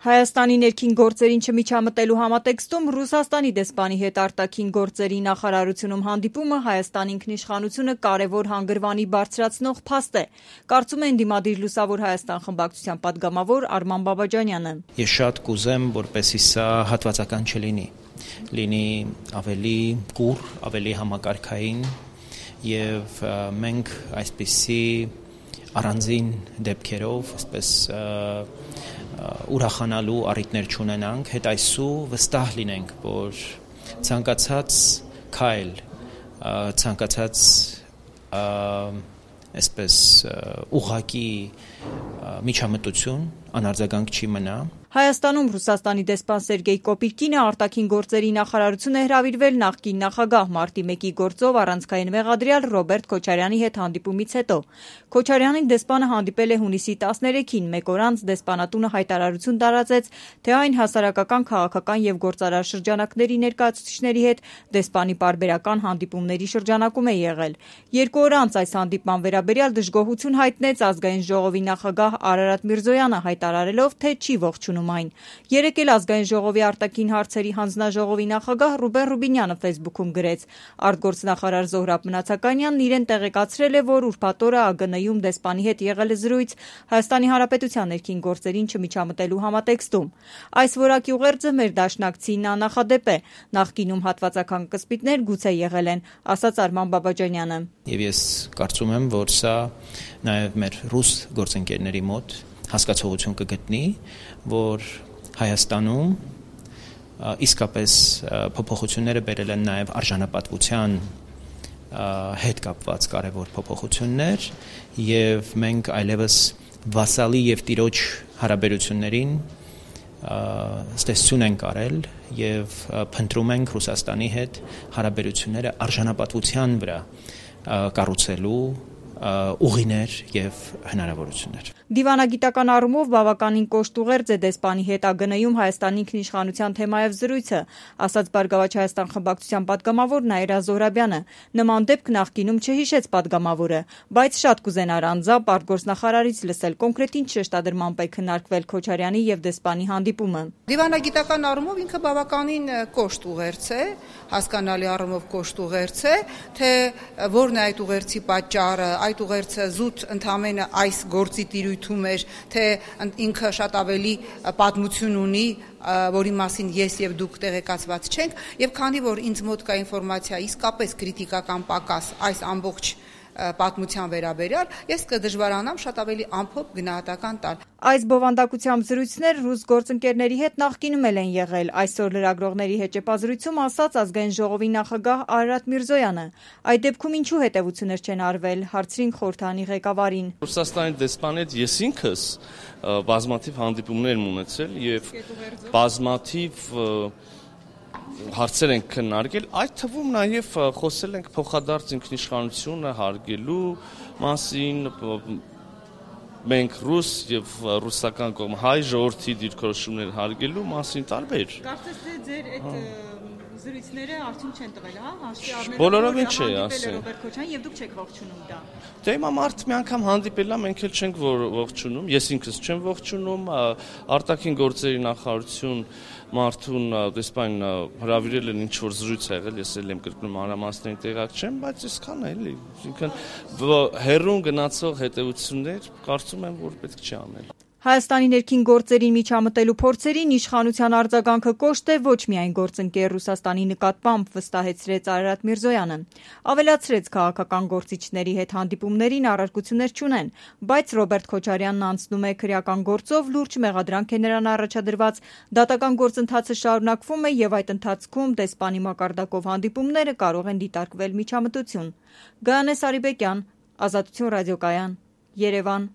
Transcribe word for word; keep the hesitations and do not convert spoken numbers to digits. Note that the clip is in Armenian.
Հայաստանի ներքին գործերին չմիջամտելու համատեքստում Ռուսաստանի դեսպանի հետ արտաքին գործերի նախարարությունում հանդիպումը Հայաստանի ինքնիշխանությունը կարևոր հանգրվանի բարձրացնող փաստ է, կարծում է ընդդիմադիր Լուսավոր Հայաստան խմբակցության պատգամավոր Արման Բաբաջանյանը։ Ես շատ կուզեմ, որպեսզի սա հատվածական չլինի, լինի ավելի կուռ, ավելի համակարգային եւ մենք այսպիսի առանձին դեպքերով, այսպես ուրախանալու առիթներ չունենանք, հետ այսու վստահ լինենք, որ ցանկացած քայլ, ցանկացած այսպես ուղղակի միջամտություն անարձագանք չի մնա։ Հայաստանում Ռուսաստանի դեսպան Սերգեյ Կոպիկինը արտաքին գործերի նախարարություն է հրավիրվել նախկին նախագահ մարտի մեկի գործով առանցքային մեղադրյալ Ռոբերտ Քոչարյանի հետ հանդիպումից հետո։ Քոչարյանին դեսպանը հանդիպել է հունիսի տասներեքին, մեկ օր անց դեսպանատունը հայտարարություն տարածեց, թե այն հասարակական, քաղաքական եւ գործարար շրջանակների ներկայացուցիչների հետ դեսպանի պարբերական հանդիպումների շրջանակում է եղել։ Երկու օր անց այս հանդիպման վերաբերյալ դժգոհություն հայտնեց Ազգային ժողովի նախագահ Արարատ Միրզոյանը, հայտարարելով, թե չի ողջունում այն։ Երեկ էլ Ազգային ժողովի արտաքին հարցերի հանձնաժողովի նախագահ Ռուբեն Ռուբինյանը Facebook-ում գրեց. Արտգործնախարար Զոհրաբ Մնացականյանն իրեն տեղեկացրել է, որ ուրբաթ օրը ԱԳՆ-ում դեսպանի հետ եղել է զրույց Հայաստանի Հանրապետության ներքին գործերին չմիջամտելու համատեքստում։ Այս որակի ուղերձը մեր դաշնակցին աննախադեպ է։ Նախկինում հատվածական կսպիտներ գուցե եղել են, ասաց Արման Բաբաջանյանը։ Եվ ես կարծում եմ, որ սա նաև մեր ռուս գործընկերների մոտ հասկացողություն կգտնի, որ Հայաստանում իսկապես փոփոխությունները բերել են նաև արժանապատվության հետ կապված կարևոր փոփոխություններ եւ մենք այլևս վասալի եւ տիրոջ հարաբերություններին ստեսություն ենք արել եւ փնտրում ենք Ռուսաստանի հետ հարաբերությունները արժանապատվության վրա կառուցելու ուղիներ եւ հնարավորություններ։ Դիվանագիտական առումով բավականին կոշտ ուղերձ է դեսպանի հետ ԱԳՆ-ում Հայաստանի ինքնիշխանության թեմայով զրույցը, ասաց Բարգավաճ Հայաստան խմբակցության պատգամավոր Նաիրա Զոհրաբյանը։ Նման դեպք նախկինում չհիշեց պատգամավորը, բայց շատ կուզենար անձամբ արտգործնախարարից լսել կոնկրետ ինչ շեշտադրմամբ է քննարկվել Քոչարյանի եւ դեսպանի հանդիպումը։ Դիվանագիտական առումով ինքը բավականին կոշտ ուղերձ է, հասկանալի առումով կոշտ ուղերձ է, թե որն է այդ ուղերձի պատճառը, այդ ուղերձը զուտ ընդամենը այս գործի տիրույթում էր, թե ինքը շատ ավելի պատմություն ունի, որի մասին ես եւ դուք տեղեկացված չենք, եւ քանի որ ինձ մոտ կա ինֆորմացիա իսկապես քրիտիկական պակաս այս ամբողջ պատմության վերաբերյալ, ես կդժվարանամ շատ ավելի ամփոփ գնահատական տալ։ Այս բովանդակությամբ զրույցներ ռուս գործընկերների հետ նախկինում էլ են եղել, այսօր լրագրողների հեճեպազրույցում ասաց Ազգային ժողովի նախագահ Արարատ Միրզոյանը։ Այդ դեպքում ինչու հետևություններ չեն արվել, հարցրին խորհրդանի ղեկավարին։ Ռուսաստանի դեսպանի հետ ես ինքս բազմաթիվ հանդիպումներ եմ ունեցել եւ բազմաթիվ հարցեր ենք քննարկել, այդ թվում նաև խոսել ենք փոխադարձ ինքնիշխանությունը հարգելու մասին, մենք ռուս եւ ռուսական կողմ հայ ժողովրդի դիրքորոշումներ հարգելու մասին տարբեր։ Կարծես թե ձեր այդ զրույցները արդյուն չեն տվել, հա, հաշվի առնելով բոլորովին չի ասել Ռոբերտ Քոչարյան եւ դուք չեք ողջունում դա։ Դե հիմա մարդ մի անգամ հանդիպել է, մենք էլ չենք ողջունում, ես ինքս չեմ ողջունում, արտաքին գործերի նախարարություն մարդուն դեսպանին հրավիրել են ինչ-որ զրույց ա եղել, ես էլ եմ կրկնում մանրամասներին տեղակ չեմ, բայց այսքան է էլի, այսինքն հեռուն գնացող հետևություններ կարծում եմ, որ պետք չի անել։ Հայաստանի ներքին գործերին միջամտելու փորձերին իշխանության արձագանքը կոշտ է ոչ միայն գործընկեր Ռուսաստանի նկատմամբ, վստահեցրեց Արարատ Միրզոյանը։ Ավելացրեց քաղաքական գործիչների հետ հանդիպումներին առարկություններ չունեն, բայց Ռոբերտ Քոչարյանն անցնում է քրեական գործով, լուրջ մեղադրանք է նրան առաջադրված, դատական գործընթացը շարունակվում է եւ այդ ընթացքում դեսպանի մակարդակով հանդիպումները կարող են դիտարկվել միջամտություն։ Գայանե Սարիբեկյան, Ազատություն ռադիոկայան, Երևան։